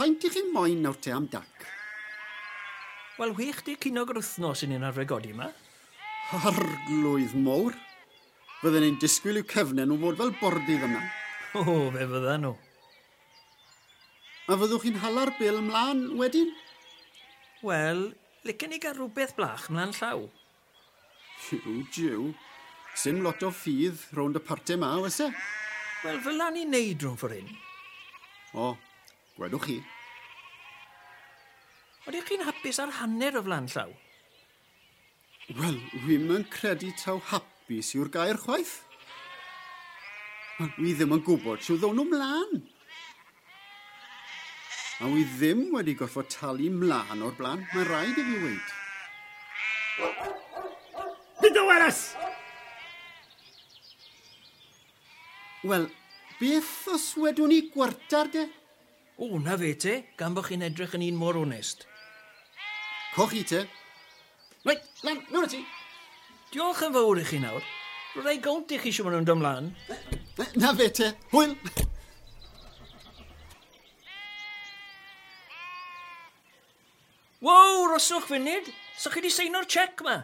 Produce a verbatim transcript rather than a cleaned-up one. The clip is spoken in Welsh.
Faint i chi moyn nawr te am dac? Wel, chwech deg ceiniog yr wythnos i ni'n arfer godi yma. Arglwydd mowr. Fydden ni'n disgwyl i'w cefnau nhw fod fel bordydd yma. O, fe fyddan nhw. A fyddwch chi'n hala'r bil mlaen wedyn? Wel, licen i gael rhywbeth blach mlaen llaw. Jiw, jiw. Sim lot o ffydd rownd y parte ma, oes e? Wel, fel 'na ni'n neud rhwng ffordd hyn. O, gwedwch chi. Oeddech chi'n hapus ar hanner o flaen llaw? Wel, wi'm yn credu taw hapus yw'r gair chwaith. Wel, wi ddim yn gwybod shwd ddown nhw mlaen. A wi ddim wedi gorfod talu mlaen o'r blaen, mae rhaid i fi weud. Byd o weres! Wel, beth os wedwn ni gwartar de? O, na fe te, gan bod chi'n edrych yn un mor onest. Coch i te. Reit, lan, mewn â ti. Diolch yn fawr i chi nawr. Rhaid gownt i chi siw maen nhw'n dod mlaen. Na fe te, hwyl. Wow, roswch funud. So chi wedi seino'r cheque ma?